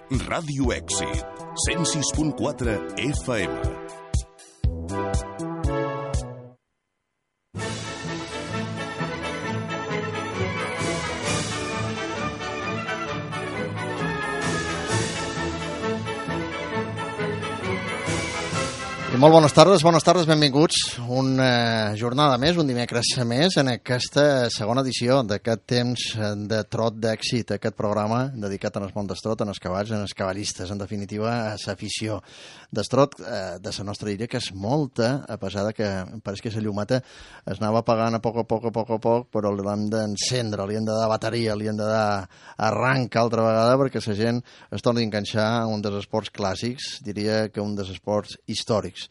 Ràdio Èxit, 106.4 FM. I molt bones tardes, benvinguts. Una jornada més, un dimecres més, en aquesta segona edició d'aquest temps de trot d'èxit, aquest programa dedicat al món d'estrot, als cavalls, als cavallistes, en definitiva, a l'afició d'estrot de la nostra illa, que és molta, a pesar que pareix que la llumeta es anava apagant a poc, però l'hem d'encendre, li hem de dar bateria, li hem de dar arranc altra vegada perquè la gent es torni a enganxar a un dels esports clàssics, diria que un dels esports històrics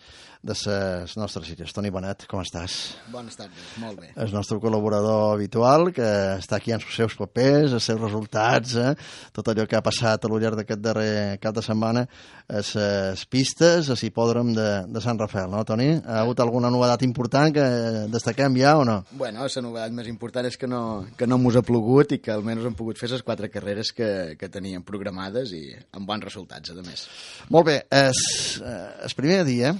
de les nostres illes. Toni Bonet, com estàs? Bones tardes, molt bé. El nostre col·laborador habitual, que està aquí amb els seus papers, els seus resultats, tot allò que ha passat al llarg d'aquest darrer cap de setmana, les pistes, a l'hipòdrom de Sant Rafael, no, Toni? Ha hagut alguna novetat important que destaquem ja o no? Bueno, la novetat més important és que no mos ha plogut i que almenys hem pogut fer les 4 carreres que teníem programades i amb bons resultats, a més. Molt bé, el primer dia,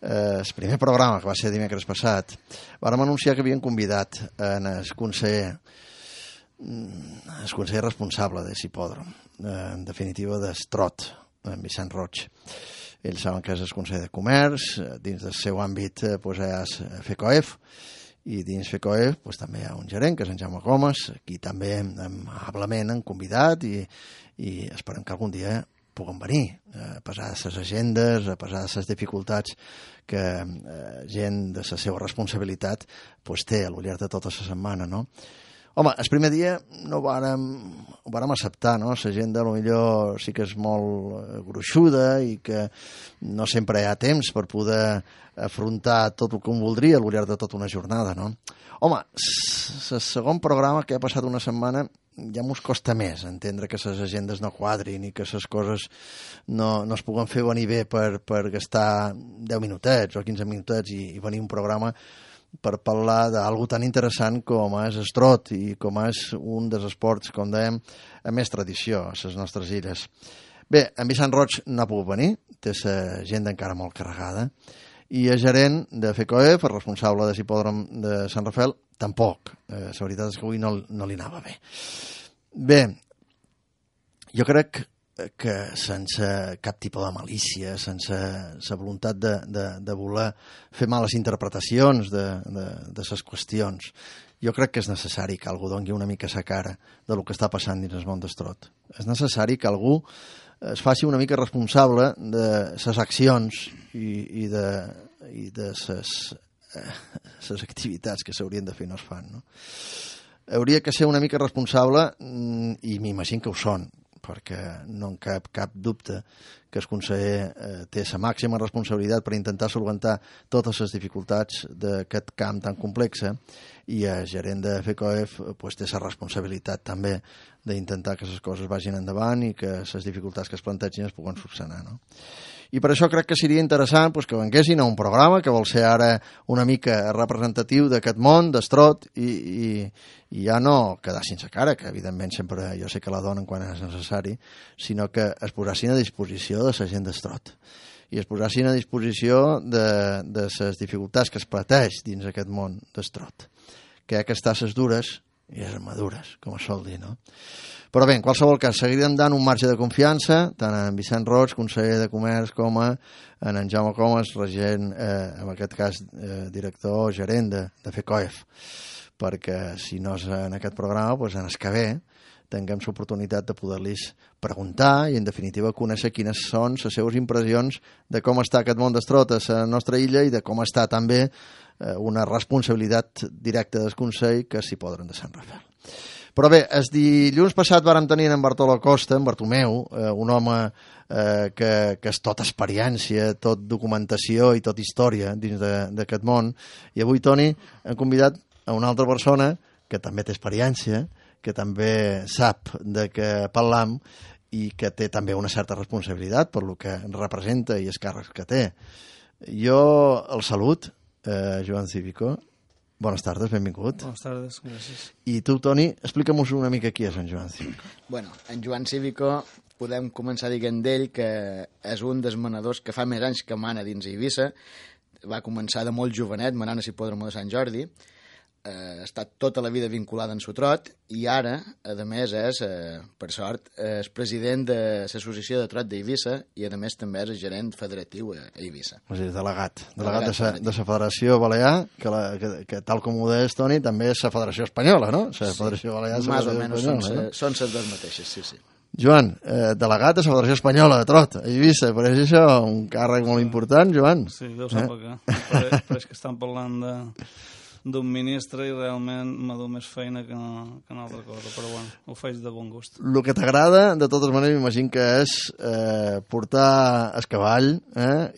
el primer programa, que va ser dimecres passat, vàrem anunciar que havien convidat el conseller responsable de l'hipòdrom, en definitiva d'Estrot, en Vicent Roig. Ells saben que és el conseller de Comerç, dins del seu àmbit hi ha FECOEF, i dins FECOEF també hi ha un gerent, que és en Jaume Gomes, aquí també amablement han convidat i esperem que algun dia puguen venir, a pesar de les agendes, a pesar de les dificultats que gent de la seva responsabilitat té a lo llarg de tota la setmana, no? Home, el primer dia ho vàrem acceptar, no? La gent potser sí que és molt gruixuda i que no sempre hi ha temps per poder afrontar tot el que voldria al llarg de tota una jornada, no? Home, el segon programa, que ha passat una setmana, ja mos costa més entendre que les agendes no quadrin i que les coses no es puguen fer venir bé per gastar 10 minutets o 15 minutets i venir un programa per parlar d'algú tan interessant com és estrot i com és un dels esports, com dèiem, amb més tradició a les nostres illes. Bé, en Vicent Roig no ha pogut venir, té l'agenda encara molt carregada, i el gerent de FECOEF, el responsable de l'hipòdrom de Sant Rafael, tampoc. La veritat és que avui no li anava bé. Bé, jo crec que sense cap tipus de malícia, sense la voluntat de voler fer males interpretacions de les qüestions, jo crec que és necessari que algú doni una mica sa cara del que està passant dins el món d'estrot. És necessari que algú es faci una mica responsable de les accions i de les activitats que s'haurien de fer i no es fan, no? Hauria que ser una mica responsable, i m'imagino que ho són, perquè no en cap dubte que el conseller té la màxima responsabilitat per intentar solventar totes les dificultats d'aquest camp tan complex, i el gerent de FECOEF té la responsabilitat també d'intentar que les coses vagin endavant i que les dificultats que es plantegin es puguen solucionar, no? I per això crec que seria interessant que venguessin a un programa que vol ser ara una mica representatiu d'aquest món d'estrot i ja no quedar sense cara, que evidentment sempre jo sé que la donen quan és necessari, sinó que es posassin a disposició de la gent d'estrot i es posassin a disposició de les dificultats que es pateix dins aquest món d'estrot, que hi ha que estar les dures i les madures, com es sol dir, no? Però bé, en qualsevol cas, seguirem dant un marge de confiança, tant en Vicent Roig, conseller de Comerç, com en Jaume Comas, regent, en aquest cas, director o gerent de FECOEF, perquè si no és en aquest programa, doncs en el que ve tinguem l'oportunitat de poder-los preguntar i, en definitiva, conèixer quines són les seves impressions de com està aquest món d'estrot a la nostra illa i de com està també una responsabilitat directa del Consell que s'hi podran de Sant Rafael. Però bé, el dilluns passat vàrem tenir en Bartolomeu Costa, en Bartomeu, un home que és tot experiència, tot documentació i tot història dins d'aquest món, i avui, Toni, hem convidat a una altra persona que també té experiència, que també sap de què parlam i que té també una certa responsabilitat per lo que representa i els càrrecs que té. Jo el salut, Joan Cívico. Bones tardes, benvingut. Bones tardes, gràcies. I tu, Toni, explica'm una mica qui és en Joan Cívico. Bueno, en Joan Cívico podem començar dient d'ell que és un dels manadors que fa més anys que mana dins Eivissa. Va començar de molt jovenet, manant a l'hipòdromo de Sant Jordi. Ha estat tota la vida vinculada en Sotrot i ara, a més, és, per sort, és president de l'Associació de Trot d'Eivissa i, a més, també és el gerent federatiu a Eivissa. O sigui, delegat de la Federació Balear, que tal com ho deies, Toni, també és la Federació Espanyola, no? La Federació Balear és la Federació Espanyola, són les dues mateixes, sí. Joan, delegat de la Federació Espanyola de Trot, a Eivissa, pareix això un càrrec molt important, Joan? Sí, deu ser per què. Pareix que estan parlant d'un ministre i realment m'ha dut més feina que una altra cosa, però bueno, ho faig de bon gust. El que t'agrada, de totes maneres, m'imagino que és portar el cavall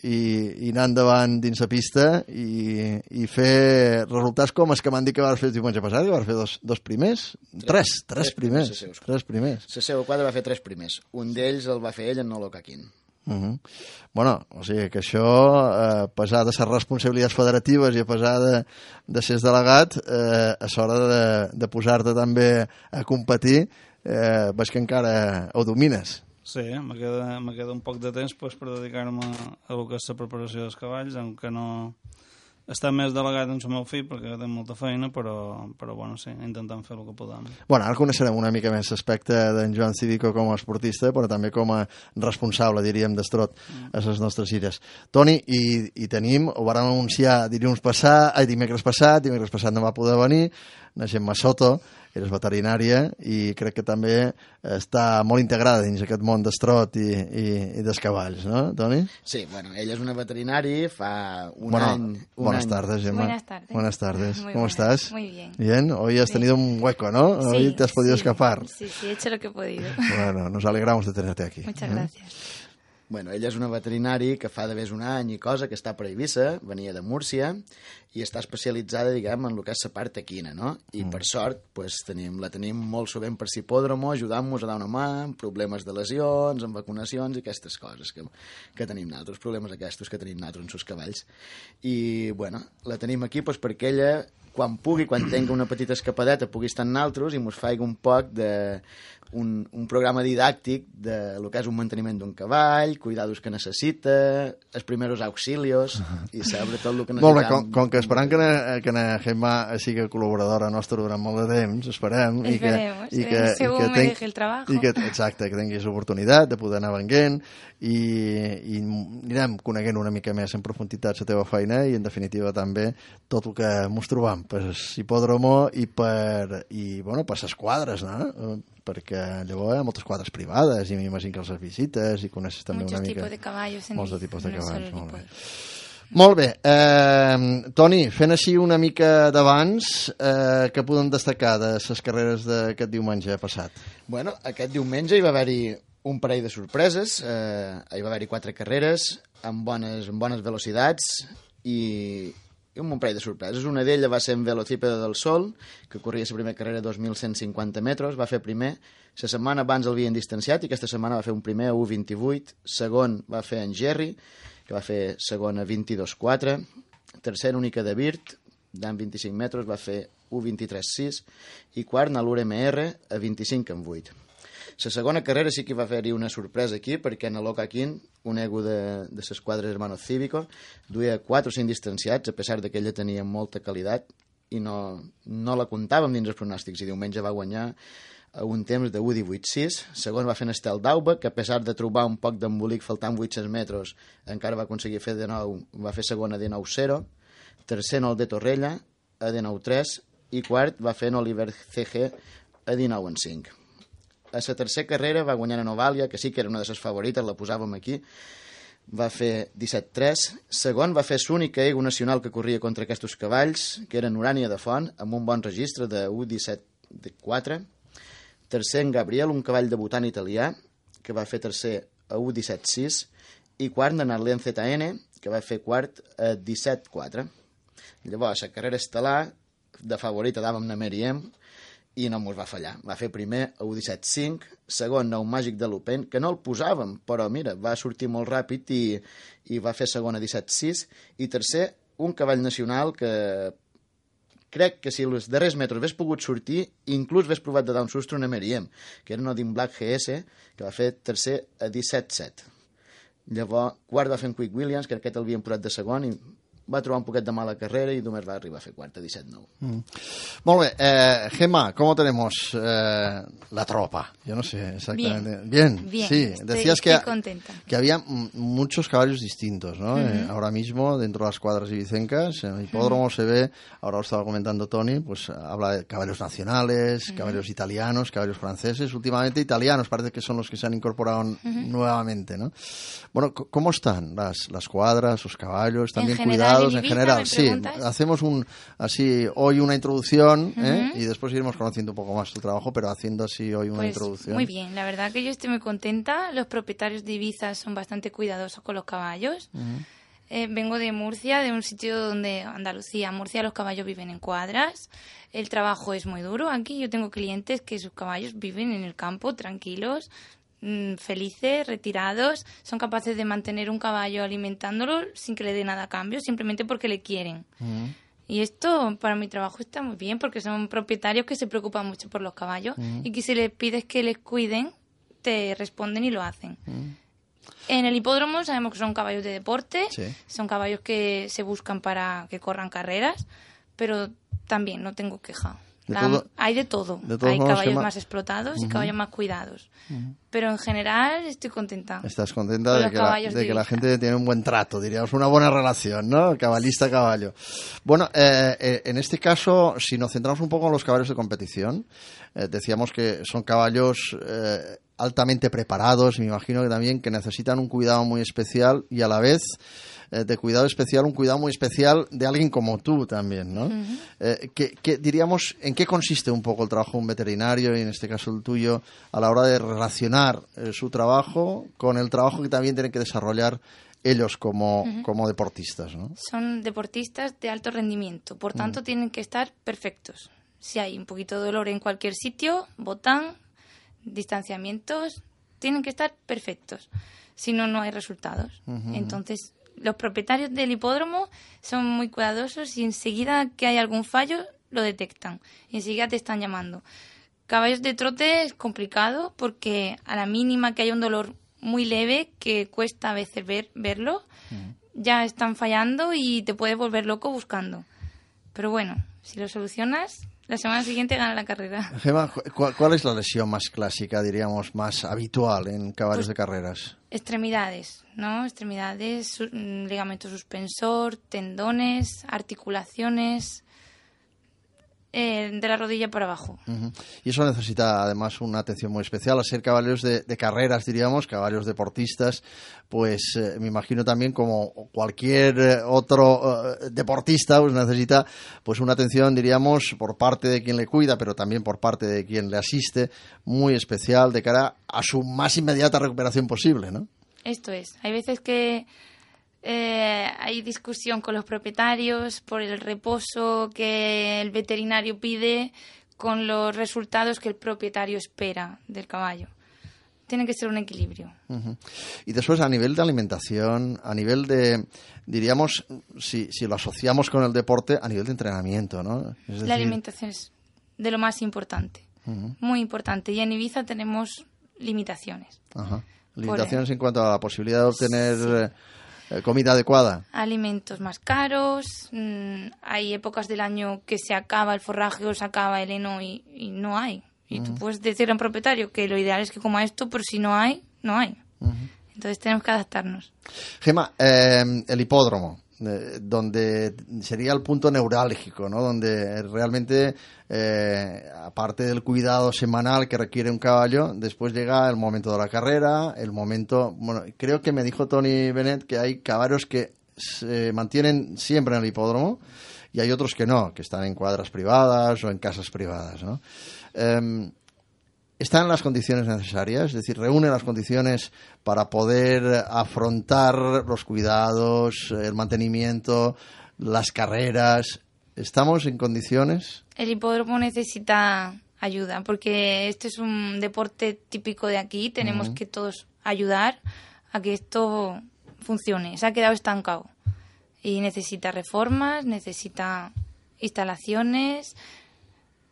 i anar endavant dins la pista i fer resultats com els que m'han dit que vas fer el diumenge passat, que vas fer dos primers? Tres primers. La seva quadra va fer 3 primers. Un d'ells el va fer ell en Nolo Caquín. Bueno, o sigui que això, a pesar de les responsabilitats federatives i a pesar de ser delegat, a l'hora de posar-te també a competir, veig que encara ho domines. Sí, me queda un poc de temps per dedicar-me a lo que és la preparació dels cavalls, aunque no està més delegat en el meu fill perquè té molta feina, però bueno, sí, intentant fer el que podem. Bueno, ara coneixerem una mica més l'aspecte d'en Joan Cívico com a esportista, però també com a responsable, diríem, d'Estrot a les nostres gires. Toni, i tenim, ho vam anunciar dimecres passat no va poder venir, la Gemma Soto, eres veterinària i crec que també està molt integrada dins aquest món d'Estrot i dels cavalls, no, Toni? Sí, bueno, ella és una veterinari, fa un any... Buenas tardes, Gemma. Buenas tardes. ¿Cómo estás? Muy bien. Bien, hoy has tenido un hueco, ¿no? Sí, hoy te has podido escapar. Sí, he hecho lo que he podido. Bueno, nos alegramos de tenerte aquí. Muchas gracias. Bueno, ella és una veterinari que fa d'haver un any i cosa, que està per Eivissa, venia de Múrcia, i està especialitzada, diguem, en el que és la part equina, no? I per sort, pues, la tenim molt sovint per l'hipòdromo, ajudant-nos a dar una mà, amb problemes de lesions, amb vacunacions i aquestes coses que tenim nosaltres, problemes aquests que tenim nosaltres en els cavalls. I, bueno, la tenim aquí pues, perquè ella, quan pugui, quan tingui una petita escapadeta, pugui estar en nosaltres i mos faig un poc de... Un programa didàctic de lo que és un manteniment d'un cavall, cuidados que necessita, els primers auxilios i saber tot el que necessitam. Molt bé, com que esperem que na Gemma sigui col·laboradora nostra durant molt de temps, esperem que segur me deje el trabajo. Exacte, que tinguis l'oportunitat de poder anar venguent i anirem coneguent una mica més en profunditat la teva feina i en definitiva també tot el que mos trobam per l'hipòdromo i per les quadres, no? Perquè llavors hi ha moltes quadres privades i m'imagino que els visites i coneixes també una mica... Molts de tipus de cavalls. Molt bé. Toni, fent així una mica d'abans, què podem destacar de les carreres d'aquest diumenge passat? Bueno, aquest diumenge hi va haver-hi un parell de sorpreses, hi va haver-hi 4 carreres amb bones velocitats i un parell de sorpreses. Una d'elles va ser en Velocípede del Sol, que corria la primera carrera a 2.150 metres, va fer primer. La setmana abans l'havien distanciat i aquesta setmana va fer un primer a 1.28, segon va fer en Jerry, que va fer segon a 22.4, tercer única de Birt, d'en 25 metres, va fer 1.23.6 i quart a l'URMR a 25.8. La segona carrera sí que va haver-hi una sorpresa aquí, perquè en Loca Quint, un ego de les quadres Hermanos Cívico, duia 4 o 5 distanciats, a pesar que ella tenia molta qualitat, i no la comptàvem dins els pronòstics, i diumenge va guanyar a un temps de 1.18.6, segon va fer en Estel d'Auba, que a pesar de trobar un poc d'embolic faltant 800 metres, encara va aconseguir fer de nou, va fer segon a 19.0, tercer en el de Torrella, a 19.3, i quart va fer en Oliver CG a 19.5. A la tercera carrera va guanyar en Ovàlia, que sí que era una de les favorites, la posàvem aquí, va fer 17.3. Segon va fer l'únic ego nacional que corria contra aquests cavalls, que era en Urània de Font, amb un bon registre de 1.17.4. Tercer en Gabriel, un cavall debutant italià, que va fer tercer a 1.17.6. I quart en Arlen ZN, que va fer quart a 17.4. Llavors, la carrera estel·lar, de favorita dàvem a Meriem, i no mos va fallar. Va fer primer a 1.17.5, segon a un màgic de l'Open, que no el posàvem, però mira, va sortir molt ràpid i va fer segon a 17.6, i tercer, un cavall nacional que crec que si els darrers metres hagués pogut sortir, inclús hagués provat de dar un susto a Meriem, que era un Odin Black GS, que va fer tercer a 17-7. Llavors, quart va fer en Quick Williams, que aquest l'havien posat de segon, i va trobar un poquet de mala carrera y només va arribar a fer quarta, 17-9. Molt bé. Gemma, ¿cómo tenemos la tropa? Yo no sé exactamente. Bien, sí. Decías estoy contenta. Que había muchos caballos distintos, ¿no? Ahora mismo, dentro de las cuadras ibicencas, en el hipódromo se ve, ahora lo estaba comentando Tony, pues habla de caballos nacionales, caballos italianos, caballos franceses, últimamente italianos, parece que son los que se han incorporado nuevamente, ¿no? Bueno, ¿cómo están las cuadras, los caballos? ¿Están bien cuidados? En general, sí. Hacemos hoy una introducción y después iremos conociendo un poco más tu trabajo, pero haciendo así hoy una introducción. Muy bien, la verdad que yo estoy muy contenta. Los propietarios de Ibiza son bastante cuidadosos con los caballos. Vengo de Murcia, de un sitio donde, Andalucía, Murcia, los caballos viven en cuadras. El trabajo es muy duro. Aquí yo tengo clientes que sus caballos viven en el campo, tranquilos, felices, retirados, son capaces de mantener un caballo alimentándolo sin que le dé nada a cambio, simplemente porque le quieren. Y esto para mi trabajo está muy bien, porque son propietarios que se preocupan mucho por los caballos y que si les pides que les cuiden, te responden y lo hacen. En el hipódromo sabemos que son caballos de deporte, son caballos que se buscan para que corran carreras, pero también no tengo queja. Hay de todo. Hay caballos más explotados y caballos más cuidados. Pero en general estoy contenta. Estás contenta de que la gente tiene un buen trato, diríamos, una buena relación, ¿no? Cabalista-caballo. Bueno, en este caso, si nos centramos un poco en los caballos de competición, decíamos que son caballos altamente preparados, me imagino que también que necesitan un cuidado muy especial y a la vez de cuidado especial, un cuidado muy especial de alguien como tú también, ¿no? Diríamos, ¿en qué consiste un poco el trabajo de un veterinario, y en este caso el tuyo, a la hora de relacionar su trabajo con el trabajo que también tienen que desarrollar ellos como deportistas, ¿no? Son deportistas de alto rendimiento, por tanto tienen que estar perfectos. Si hay un poquito de dolor en cualquier sitio, botan, distanciamientos, tienen que estar perfectos. Si no, no hay resultados. Entonces, los propietarios del hipódromo son muy cuidadosos y enseguida que hay algún fallo lo detectan y enseguida te están llamando. Caballos de trote es complicado porque a la mínima que haya un dolor muy leve que cuesta a veces verlo, ya están fallando y te puedes volver loco buscando. Pero bueno, si lo solucionas, la semana siguiente gana la carrera. Gemma, ¿cuál es la lesión más clásica, diríamos, más habitual en caballos de carreras? Extremidades, ¿no? Extremidades, ligamento suspensor, tendones, articulaciones, de la rodilla para abajo. Y eso necesita además una atención muy especial. Al ser caballos de carreras, diríamos, caballos deportistas, pues me imagino también como cualquier otro deportista, pues necesita pues una atención, diríamos, por parte de quien le cuida, pero también por parte de quien le asiste, muy especial de cara a su más inmediata recuperación posible, ¿no? Esto es. Hay veces que hay discusión con los propietarios por el reposo que el veterinario pide con los resultados que el propietario espera del caballo. Tiene que ser un equilibrio. Y después, a nivel de alimentación, a nivel de, diríamos, si lo asociamos con el deporte, a nivel de entrenamiento, ¿no? Es decir, la alimentación es de lo más importante, muy importante. Y en Ibiza tenemos limitaciones. Limitaciones en cuanto a la posibilidad de obtener comida adecuada. Alimentos más caros, hay épocas del año que se acaba el forraje o se acaba el heno y no hay. Y tú puedes decirle a un propietario que lo ideal es que coma esto, pero si no hay, no hay. Entonces tenemos que adaptarnos. Gemma, el hipódromo, donde sería el punto neurálgico, ¿no? Donde realmente, aparte del cuidado semanal que requiere un caballo, después llega el momento de la carrera, el momento... Bueno, creo que me dijo Tony Bennett que hay caballos que se mantienen siempre en el hipódromo y hay otros que no, que están en cuadras privadas o en casas privadas, ¿no? ¿Están en las condiciones necesarias? Es decir, ¿reúnen las condiciones para poder afrontar los cuidados, el mantenimiento, las carreras? ¿Estamos en condiciones? El hipódromo necesita ayuda, porque este es un deporte típico de aquí. Tenemos que todos ayudar a que esto funcione. Se ha quedado estancado y necesita reformas, necesita instalaciones.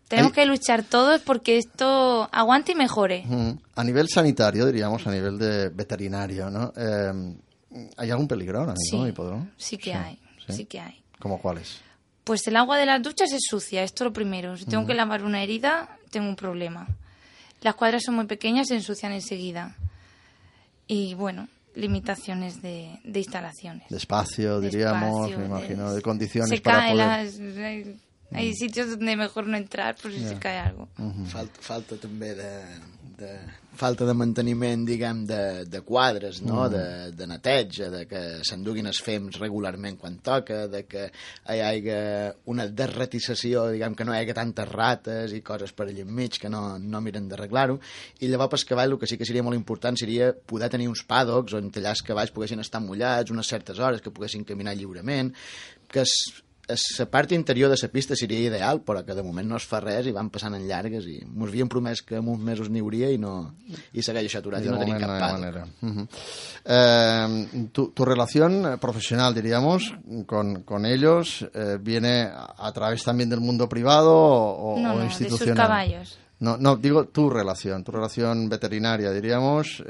Tenemos que luchar todos porque esto aguante y mejore. A nivel sanitario, diríamos, a nivel de veterinario, ¿no? ¿Hay algún peligro ahora mismo en el hipódromo? Sí que hay, sí que hay. ¿Cómo cuáles? Pues el agua de las duchas es sucia, esto es lo primero. Si tengo que lavar una herida, tengo un problema. Las cuadras son muy pequeñas, se ensucian enseguida. Y bueno, limitaciones de instalaciones. De espacio, diríamos, me imagino, de condiciones se para poder... Hay sitios donde mejor no entrar por si se cae algo. Falta també falta de manteniment, diguem, de quadres, no? De neteja, de que s'enduguin els fems regularment quan toca, de que hi hagi una desratizació, diguem, que no hi hagi tantes rates i coses per allà enmig que no miren d'arreglar-ho. I llavors pel cavall el que sí que seria molt important seria poder tenir uns paddocks on allà els cavalls poguessin estar mullats unes certes hores, que poguessin caminar lliurement, que la part interior de la pista seria ideal, però que de moment no es fa res i van passant en llargues i ens havien promès que en uns mesos n'hi hauria i segueix això aturat i no tenim cap paddock. Tu relación profesional, diríamos, con ellos viene a través también del mundo privado o institucional. De sus caballos. No, digo tu relación veterinaria, diríamos,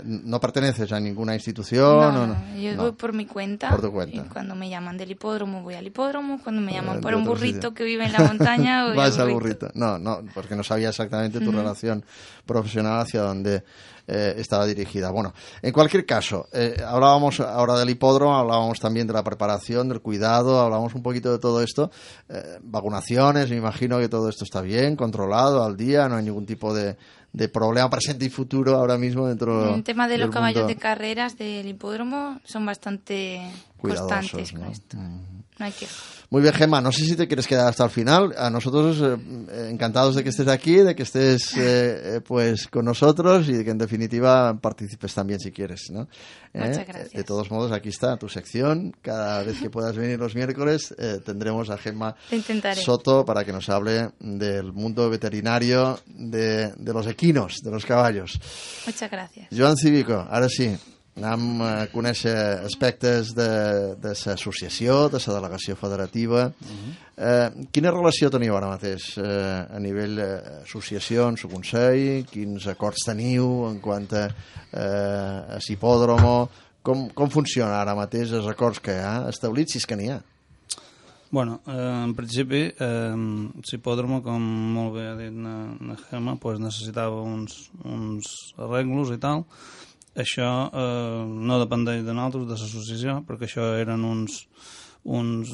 no perteneces a ninguna institución. Yo voy por mi cuenta. Por tu cuenta. Y cuando me llaman del hipódromo, voy al hipódromo. Cuando me llaman por un burrito que vive en la montaña, voy vas al burrito. No, porque no sabía exactamente tu relación profesional hacia dónde estaba dirigida. Bueno, en cualquier caso, hablábamos ahora del hipódromo, hablábamos también de la preparación, del cuidado, hablábamos un poquito de todo esto. Vacunaciones, me imagino que todo esto está bien, controlado, al día, no hay ningún tipo de problema presente y futuro ahora mismo dentro en el tema de los caballos mundo de carreras del hipódromo son bastante constantes con esto. No hay queja. Muy bien, Gemma, no sé si te quieres quedar hasta el final. A nosotros encantados de que estés aquí, de que estés pues con nosotros y de que en definitiva participes también si quieres, ¿no? Muchas gracias. De todos modos, aquí está tu sección. Cada vez que puedas venir los miércoles tendremos a Gemma Soto para que nos hable del mundo veterinario de los equinos, de los caballos. Muchas gracias. Joan Cívico, ara sí, anem a conèixer aspectes de l'associació, de la delegació federativa. Quina relació teniu ara mateix a nivell associacions o consell? Quins acords teniu en quant a hipòdromo? Com funciona ara mateix els acords que hi ha establits, si és que n'hi ha? Bueno, en principi, l'hipòdromo, com molt bé ha dit la Gemma, pues necessitava uns arreglos i tal. Això no dependeix de nosaltres, de l'associació, perquè això eren uns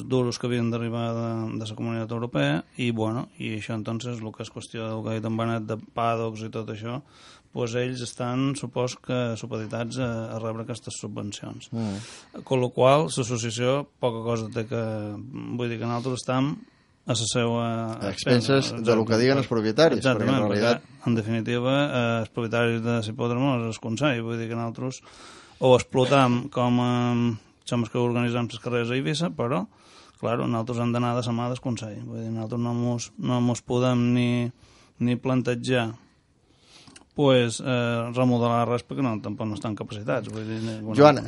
duros que havien d'arribar de la Comunitat Europea i això entonces el que és qüestió del que ha dit en Benet de paddocks i tot això, pues ells estan, supos que, supeditats a rebre aquestes subvencions. Con lo qual, l'associació poca cosa té que... Vull dir que nosaltres estem a la seva... A expenses del que diguen els propietaris. Exactament, perquè en definitiva els propietaris de l'hipòdromo és el consell, vull dir que nosaltres ho explotam com som els que organitzem les carreres a Eivissa, però clar, nosaltres hem d'anar de la mà del consell, vull dir, nosaltres no mos podem ni plantejar remodelar res perquè tampoc no estan capacitats. Vull dir, Joan,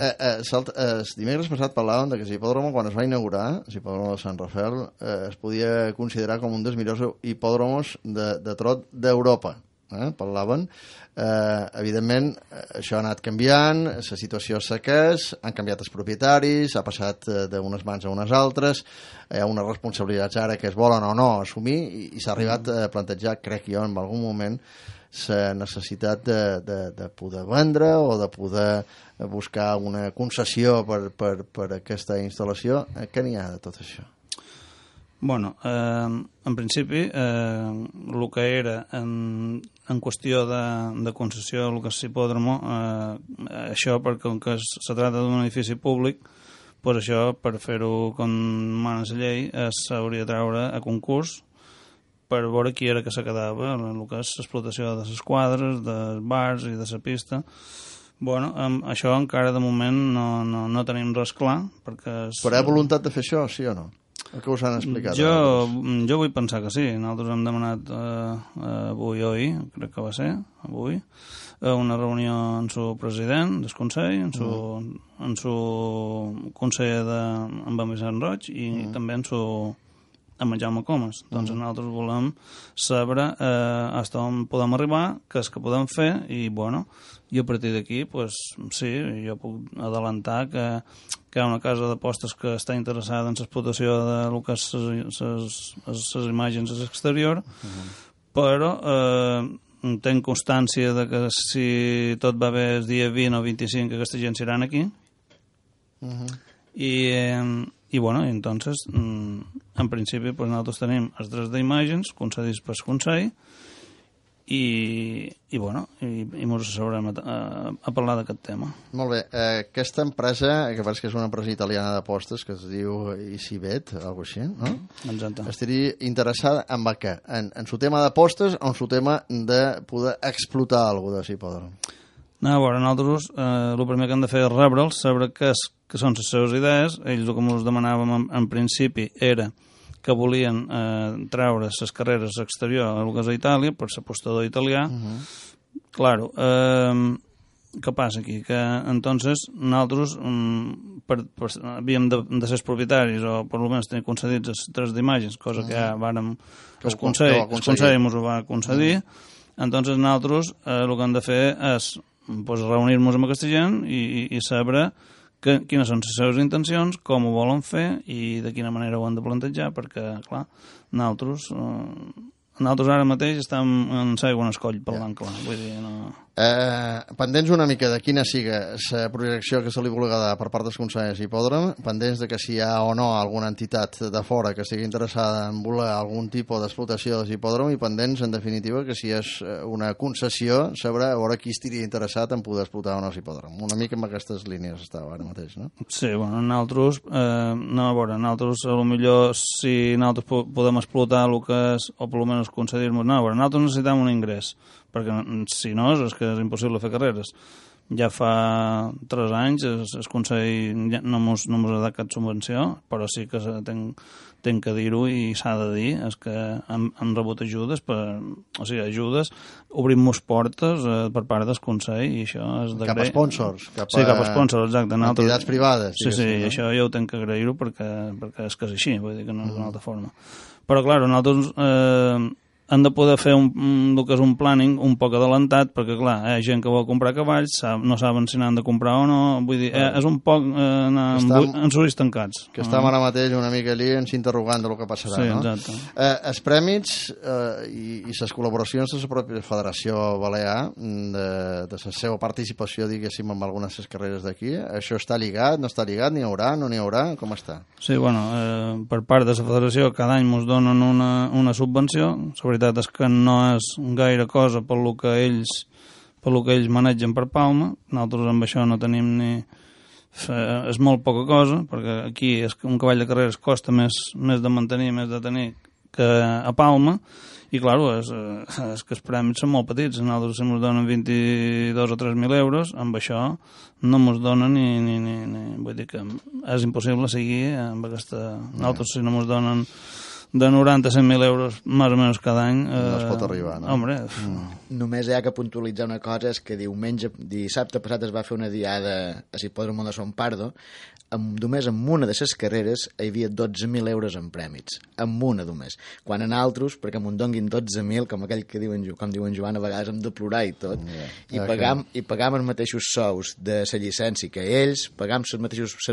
dimecres passat parlàvem que l'hipòdromo, quan es va inaugurar, l'hipòdromo de Sant Rafael, es podia considerar com un dels millors hipòdromos de trot d'Europa. Parlaven. Evidentment, això ha anat canviant, la situació s'ha quès, han canviat els propietaris, ha passat d'unes mans a unes altres, hi ha unes responsabilitats ara que es volen o no assumir i s'ha arribat a plantejar, crec jo, en algun moment, la necessitat de poder vendre o de poder buscar una concessió per aquesta instal·lació. Què n'hi ha de tot això? Bueno, en principi, el que era en qüestió de concessió, el que és l'hipòdromo, això, perquè com que se tracta d'un edifici públic, pues això, per fer-ho com mana la llei, s'hauria de treure a concurs per veure qui era que se quedava en el que és l'explotació de les quadres, dels bars i de la pista. Bueno, això encara de moment no tenim res clar, perquè... Però hi ha voluntat de fer això, sí o no? El que us han explicat? Jo vull pensar que sí. Nosaltres hem demanat avui o ahir, crec que va ser, avui, una reunió amb el president del Consell, amb el conseller en Vicent Roig i també amb amb en Jaume Comas. Doncs nosaltres volem saber fins on podem arribar, què és que podem fer, i bueno, i a partir d'aquí, pues, sí, jo puc adelantar que hi ha una casa d'apostes que està interessada en l'explotació de lo que és les imatges a l'exterior, però tenc constància de que si tot va bé el dia 20 o 25 aquesta gent seran aquí, i bueno, entonces en principi pues, nosaltres tenim els drets d'imatges concedits pel Consell i bueno, i ens asseurem a parlar d'aquest tema. Molt bé, aquesta empresa, que pareix que és una empresa italiana d'apostes que es diu Isibet, alguna cosa així, no? Exacte. Estaria interessada en què? En su tema d'apostes o en su tema de poder explotar alguna cosa de Sipòdrom? No, a veure, nosaltres el primer que hem de fer és rebre'ls, saber què són les seves idees. Ells el que ens demanàvem en principi era que volien treure les carreres exterior a lo que és a Itàlia, per l'apostador italià. Claro, què passa aquí? Que entonces nosaltres havíem de ser propietaris o per almenys tenir concedits els drets d'imatges, cosa que ja vàrem... El Consell ens ho va concedir. Entonces nosaltres el que hem de fer és pues, reunir-nos amb aquesta gent i saber quines són les seves intencions, com ho volen fer i de quina manera ho han de plantejar, perquè, clar, nosaltres ara mateix estem en l'aigua en escoll parlant, clar, vull dir, no... Pendents una mica de quina siga la projecció que se li vulgui dar per part dels Consells Hipòdrom, pendents de que si hi ha o no alguna entitat de fora que estigui interessada en voler algun tipus d'explotació de l'hipòdrom, i pendents, en definitiva, que si és una concessió, saber a veure qui estaria interessat en poder explotar o no l'hipòdrom. Una mica amb aquestes línies estava ara mateix, no? Sí, bueno, nosaltres, nosaltres, a lo millor, si nosaltres podem explotar el que és, o per almenys concedir-nos, nosaltres necessitem un ingrés, perquè si no és que és impossible fer carreres. Ja fa 3 anys el Consell no mos ha dat cap subvenció, però sí que tenc que dir-ho i s'ha de dir, és que hem rebut ajudes, ajudes, obrim-nos portes per part del Consell, i això és d'agrair. Cap a sponsors. Sí, cap a sponsors, exacte. Entitats privades. Sí, això jo ho tenc que agrair-ho perquè és que és així, vull dir que no és d'una altra forma. Però, clar, nosaltres han de poder fer el que és un planning un poc adelantat, perquè, clar, hi ha gent que vol comprar cavalls, no saben si n'han de comprar o no, vull dir, és un poc en ulls tancats. Que estem ara mateix una mica allí ens interrogant del que passarà, sí, no? Exacte. Els prèmits i les col·laboracions de la pròpia Federació Balear, de la seva participació, diguéssim, en algunes de les carreres d'aquí, això està lligat, no està lligat, n'hi haurà, no n'hi haurà, com està? Sí, bueno, per part de la Federació cada any ens donen una subvenció, la veritat és que no és gaire cosa per lo que ells manegen per Palma. Nosaltres amb això no tenim ni... és molt poca cosa, perquè aquí un cavall de carreres costa més de mantenir, més de tenir que a Palma, i clar, és que els premis són molt petits. Nosaltres si ens donen 22 o 3.000 euros, amb això no ens donen ni... Vull dir que és impossible seguir amb aquesta... Nosaltres si no ens donen de 90 a 100.000 euros més o menys cada any... No es pot arribar, no? Hombre... Només hi ha que puntualitzar una cosa, és que dissabte passat es va fer una diada a l'hipòdrom de Son Pardo, només en una de les carreres hi havia 12.000 euros en prèmits, en una només. Quan en altres, perquè m'ho donguin 12.000, com aquell que com diuen Joan, a vegades hem de plorar i tot, i pagam els mateixos sous de la llicència que ells, pagam les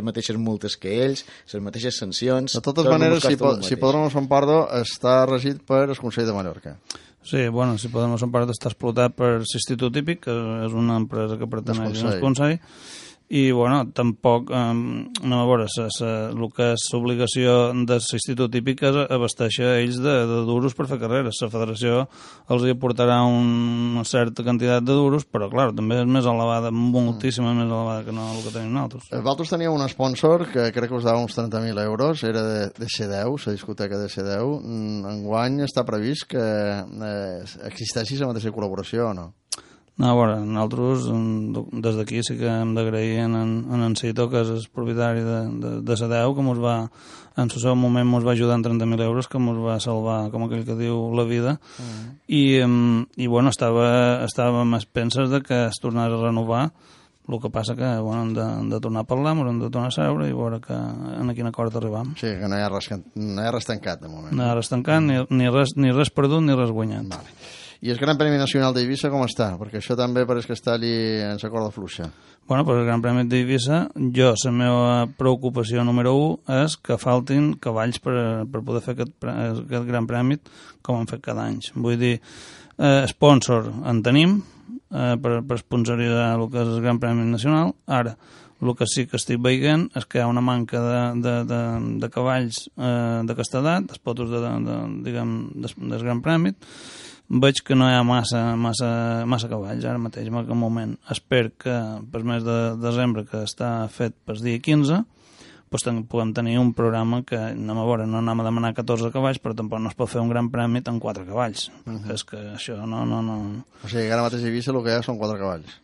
mateixes multes que ells, les mateixes sancions... De totes maneres, l'hipòdrom de Son Pardo està regit per el Consell de Mallorca. Sí, bueno, l'hipòdrom de Son Pardo està explotat per l'Institut Hípic, que és una empresa que pertaneix al Consell, i, bueno, tampoc, no, a veure, el que és l'obligació de l'Institut Hípic és abasteixer ells de duros per fer carreres. La federació els hi aportarà una certa quantitat de duros, però, clar, també és més elevada, moltíssima més elevada que no el que tenim nosaltres. Vosaltres teníeu un sponsor que crec que us dava uns 30.000 euros, era de C10, la discoteca de C10. Enguany està previst que existeixi la mateixa col·laboració o no? No, a veure, nosaltres des d'aquí sí que hem d'agrair en Cito, que és el propietari de Sadeu, que en el seu moment ens va ajudar en 30.000 euros, que ens va salvar, com aquell que diu, la vida. I bueno, estàvem a penses de que es tornés a renovar, El que passa que bueno, hem de tornar a parlar, hem de tornar a seure i veure en quin acord arribam. Sí, que no hi ha res tancat, de moment. No hi ha res tancat, ni res perdut ni res guanyat. Vale. I el Gran Premi Nacional d'Eivissa com està? Perquè això també pareix que està allí en la corda fluixa. Bueno, per el Gran Premi d'Eivissa, la meva preocupació número 1 és que faltin cavalls per poder fer aquest Gran Premi com han fet cada any. Vull dir, sponsor en tenim per sponsoritzar el que és el Gran Premi Nacional. Ara, el que sí que estic veient és que hi ha una manca de cavalls d'aquesta edat, dels potos del Gran Premi. Veig que no hi ha massa cavalls ara mateix, en aquest moment. Espero que per mes de desembre, que està fet pel dia 15, doncs puguem tenir un programa que anem a veure, no anem a demanar 14 cavalls, però tampoc no es pot fer un Gran Premi amb 4 cavalls, perquè és que això no... O sigui, ara mateix a Eivissa el que hi ha són 4 cavalls.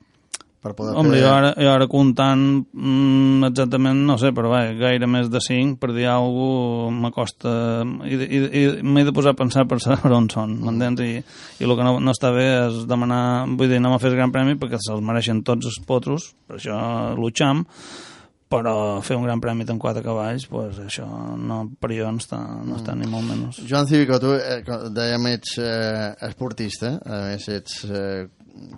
Home, jo ara comptant exactament, no sé, però gaire més de 5, per dir alguna cosa, m'acosta... I m'he de posar a pensar per saber on són, m'entens? I el que no està bé és demanar... Vull dir, anem a fer el Gran Premi perquè se'ls mereixen tots els potros, per això lucham, però fer un Gran Premi amb 4 cavalls, pues això per jo no està ni molt menys. Joan Cívico, tu dèiem ets esportista, a més ets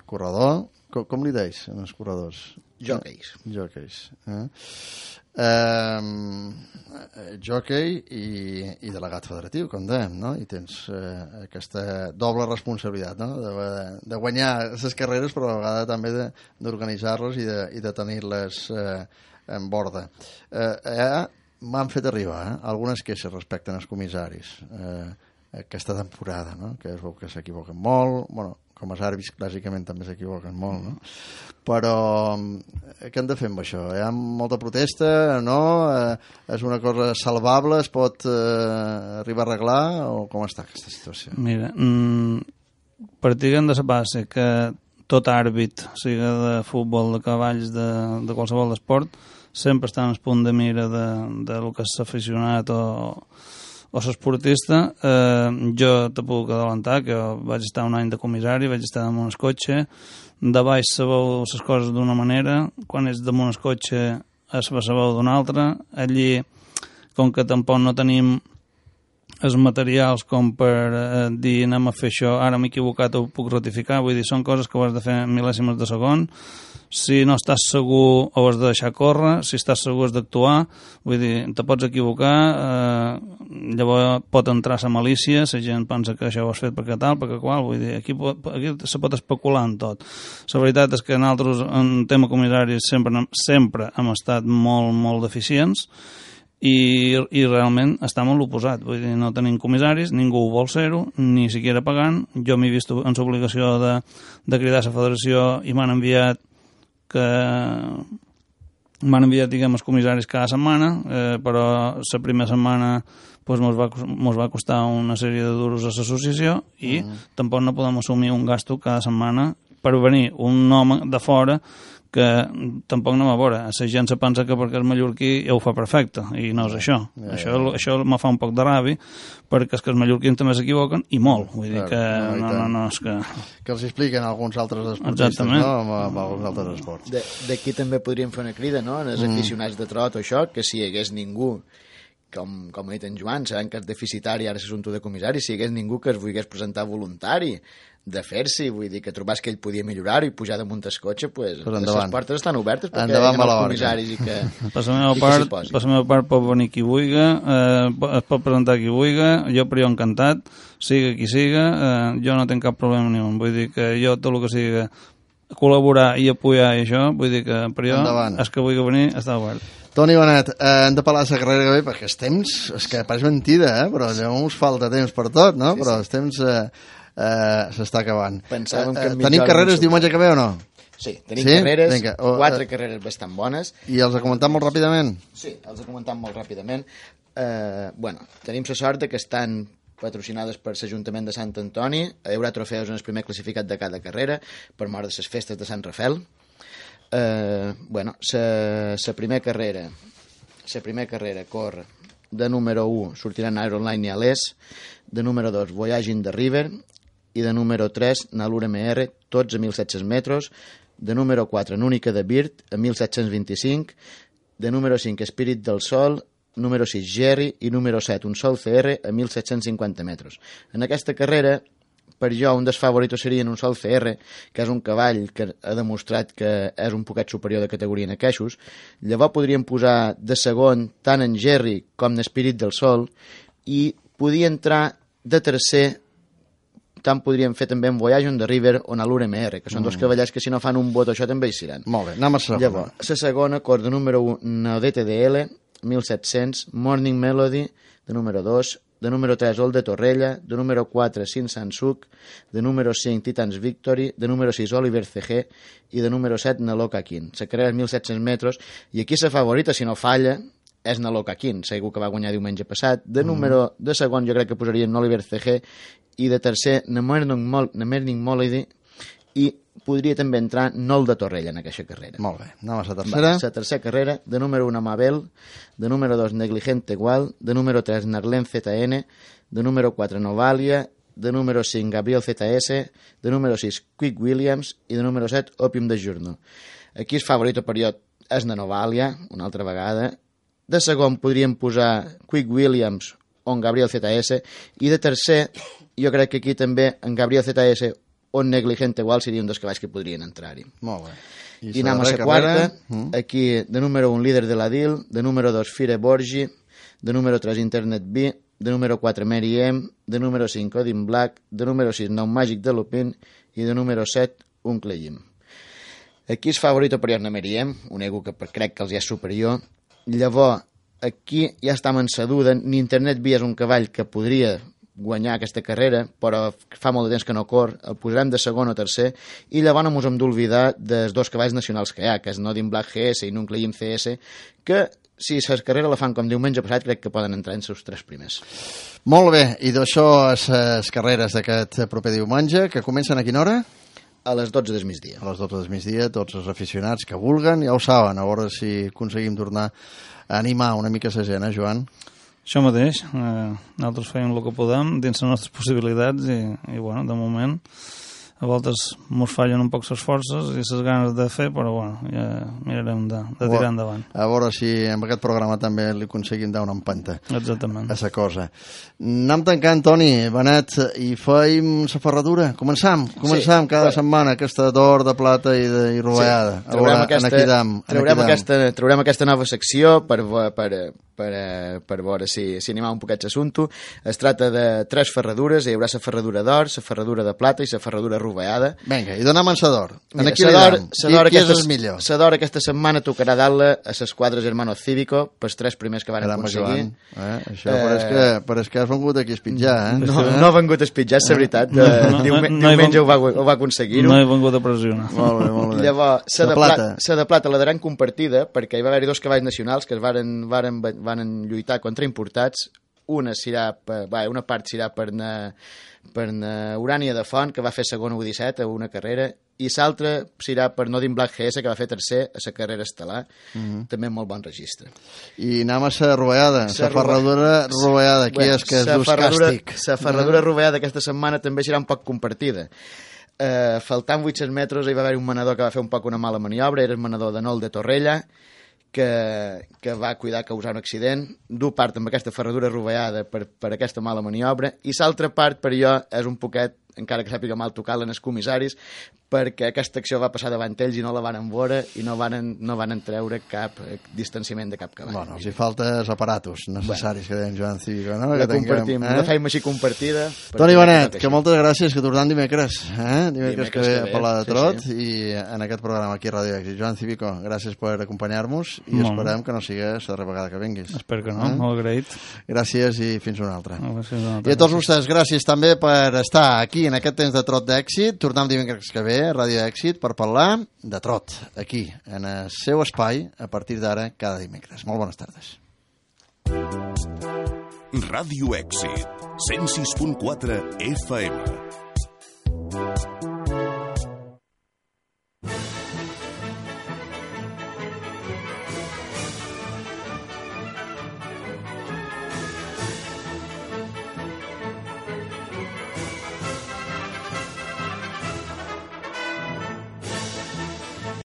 corredor. Com li deis als corredors? Jockeys. Jockey i delegat federatiu, com dèiem, no? I tens aquesta doble responsabilitat, no? De guanyar les carreres, però a vegades també d'organitzar-les i de tenir-les en borda. M'han fet arribar algunes queixes respecte als comissaris aquesta temporada, no? Que es veu que s'equivoquen molt, bueno, com els àrbits clàssicament també s'equivoquen molt, no? Però què hem de fer amb això? Hi ha molta protesta, no? És una cosa salvable? Es pot arribar a arreglar? O com està aquesta situació? Mira, partiguen de la base que tot àrbit, sigui de futbol, de cavalls, de qualsevol esport, sempre està en el punt de mira de lo que és aficionat o l'esportista. Jo te puc adelantar que vaig estar un any de comissari, vaig estar damunt el cotxe, de baix sabeu les coses d'una manera, quan ets damunt el cotxe es sabeu d'una altra. Allí, com que tampoc no tenim els materials com per dir anem a fer això, ara m'he equivocat, ho puc ratificar, vull dir, són coses que ho has de fer en mil·lèsimes de segon. Si no estàs segur ho has de deixar córrer, si estàs segur has d'actuar, vull dir, te pots equivocar, llavors pot entrar la malícia, la gent pensa que això ho has fet perquè tal, perquè qual, vull dir, aquí se pot especular en tot. La veritat és que nosaltres en tema comissari sempre hem estat molt, molt deficients, i realment estem en l'oposat, vull dir, no tenim comissaris, ningú vol ser-ho, ni siquiera pagant. Jo m'he vist en l'obligació de cridar a la federació i m'han enviat diguem, els comissaris cada setmana, però la primera setmana pues, mos va costar una sèrie de duros a l'associació i tampoc no podem assumir un gasto cada setmana per venir un home de fora que tampoc no va veure. La gent se pensa que perquè és mallorquí ja ho fa perfecte, i no és això. Això me fa un poc de ràbia, perquè és que els mallorquins també s'equivoquen, i molt. Vull dir que no és que... Que els expliquen alguns altres esportistes, no? Amb alguns altres esports. D'aquí també podríem fer una crida, no?, en els aficionats de trot o això, que si hi hagués ningú, com ha dit en Joan, sabem que és deficitari ara l'assumpte de comissari, si hi hagués ningú que es volgués presentar voluntari de fer-s'hi, vull dir, que trobàs que ell podia millorar-ho i pujar damunt el cotxe, pues les portes estan obertes perquè hi ha els comissaris i que per la meva part pot venir qui vulgui, es pot presentar qui vulgui, jo per jo encantat, siga qui siga, jo no tinc cap problema ni un, vull dir que jo tot el que siga col·laborar i apoyar i això, vull dir que per jo és que vulgui venir està obert. Toni Bonet, hem de parlar de la carrera que ve perquè els temps, és que pareix mentida, però llavors falta temps per tot, no? Però els temps s'està acabant. Tenim carreres diumenge que ve o no? Sí, tenim carreres, 4 carreres bastant bones. I els ha comentat molt ràpidament? Sí, els ha comentat molt ràpidament. Tenim la sort que estan patrocinades per l'Ajuntament de Sant Antoni. Hi haurà trofeus en el primer classificat de cada carrera per mort de les festes de Sant Rafel. La primera carrera corre de número 1 sortiran Ironline i Alès, de número 2 Voyaging the River i de número 3 Nalura MR, tots a 1.700 metres, de número 4 Núnica de Birt, a 1725, de número 5 Espírit del Sol, número 6 Jerry i número 7 Un Sol CR a 1.750 metres. En aquesta carrera, per jo, un dels favoritos serien Un Sol CR, que és un cavall que ha demostrat que és un poquet superior de categoria en aqueixos. Llavors podríem posar de segon tant en Jerry com en Espírit del Sol i podia entrar de tercer, tant podríem fer també en Voyage on the River o en l'URMR, que són dos cavallers que si no fan un vot això també hi seran. Molt bé, anem a segona. Llavors, la segona, cor de número 1, DTDL, 1700, Morning Melody, de número 2, de número 3, Old de Torrella, de número 4, Sin Sansuk, de número 5, Titans Victory, de número 6, Oliver CG, i de número 7, Naloka King. La carrera és 1.700 metres, i aquí la favorita, si no falla, és Naloka King, segur que va guanyar diumenge passat. De número de segon jo crec que posaria Oliver CG, i de tercer, Morning Melody, i podria també entrar Nol de Torrella en aquesta carrera. Molt bé, anem a la tercera. La tercera carrera, de número 1 Mabel, de número 2 Negligente Igual, de número 3 Narlen ZN, de número 4 Novalia, de número 5 Gabriel ZS, de número 6 Quick Williams i de número 7 Opium de Journal. Aquí el favorit per jo és de Novalia, una altra vegada. De segon podríem posar Quick Williams o en Gabriel ZS, i de tercer jo crec que aquí també en Gabriel ZS o en Negligente Igual seria un dels cavalls que podrien entrar-hi. Molt bé. I anem a la quarta, aquí de número 1 Líder de la DIL, de número 2 Fire Borgi, de número 3 Internet B, de número 4 Mary M, de número 5 Odin Black, de número 6 Nou Màgic de Lupin i de número 7 Uncle Jim. Aquí és favorit per jo Mary M, un ego que crec que els ja és superior. Llavors, aquí ja estem en sa duda, ni Internet B és un cavall que podria guanyar aquesta carrera, però fa molt de temps que no cor, el posarem de segon o tercer, i llavors no ens hem d'oblidar dels dos cavalls nacionals que hi ha, que és Nodin Black GS i Nuncle Jim CS, que si la carrera la fan com diumenge passat, crec que poden entrar en els 3 primers. Molt bé, i d'això les carreres d'aquest proper diumenge, que comencen a quina hora? A les 12 del migdia. A les 12 del migdia, tots els aficionats que vulguen, ja ho saben, a veure si aconseguim tornar a animar una mica la gent, Joan? Això mateix, nosaltres fèiem el que podem dins les nostres possibilitats i bueno, de moment a voltes mos fallen un poc les forces i les ganes de fer, però bueno, ja mirarem de tirar endavant. A veure si amb aquest programa també li aconseguim dar una empenta. Exactament. A la cosa. Anem tancant, Toni, Benet, i feim la ferradura. Començam cada setmana aquesta d'or, de plata i rovellada. Sí. Traurem aquesta nova secció per veure si animam un poquet l'assumpte. Es tracta de 3 ferradures, hi haurà la ferradura d'or, la ferradura de plata i la ferradura rovellada. Vinga, i donem en la d'or. Mira, qui és el millor? La d'or aquesta setmana tocarà dar-la a l'esquadra Hermanos Cívico, pels 3 primers que van aconseguir. Això pareix que has vengut aquí a espitjar, No ha vengut a espitjar, és la veritat. Diumenge ho va aconseguir-ho. No he vengut a pressionar. Molt bé. Llavors, la de plata la daran compartida perquè hi va haver-hi 2 cavalls nacionals que es van lluitar contra importats. Una part serà per Urània de Font, que va fer segon a U17 a una carrera, i l'altra serà per Nodin Black GS, que va fer tercer a la carrera estel·lar. També molt bon registre. I anem a la rovellada, la ferradura rovellada, aquí és que és dus càstig. La ferradura rovellada aquesta setmana també serà un poc compartida. Faltant 800 metres hi va haver un manador que va fer un poc una mala maniobra, era el manador de Nol de Torrella, que va cuidar causar un accident. Du part amb aquesta ferradura rovellada per aquesta mala maniobra, i l'altra part per jo és un poquet, encara que sàpiga mal tocar-la en els comissaris, perquè aquesta acció va passar davant ells i no la van veure i no van treure cap distanciament de cap cavall. Bueno, si falta els aparatos necessaris que deia en Joan Cívico, no? La compartim, la feim així compartida. Toni Benet, que moltes gràcies, que tornem dimecres que ve a parlar de trot, i en aquest programa aquí a Ràdio Èxit. Joan Cívico, gràcies per acompanyar-nos i esperem que no sigui la darrera vegada que vinguis. Espero que no, molt agraït. Gràcies i fins una altra. I a tots vostès, gràcies també per estar aquí en aquest temps de trot d'èxit. Tornem dimecres que ve a Ràdio Èxit per parlar de trot, aquí, en el seu espai, a partir d'ara, cada dimecres. Molt bones tardes. Ràdio Èxit, 106.4 FM.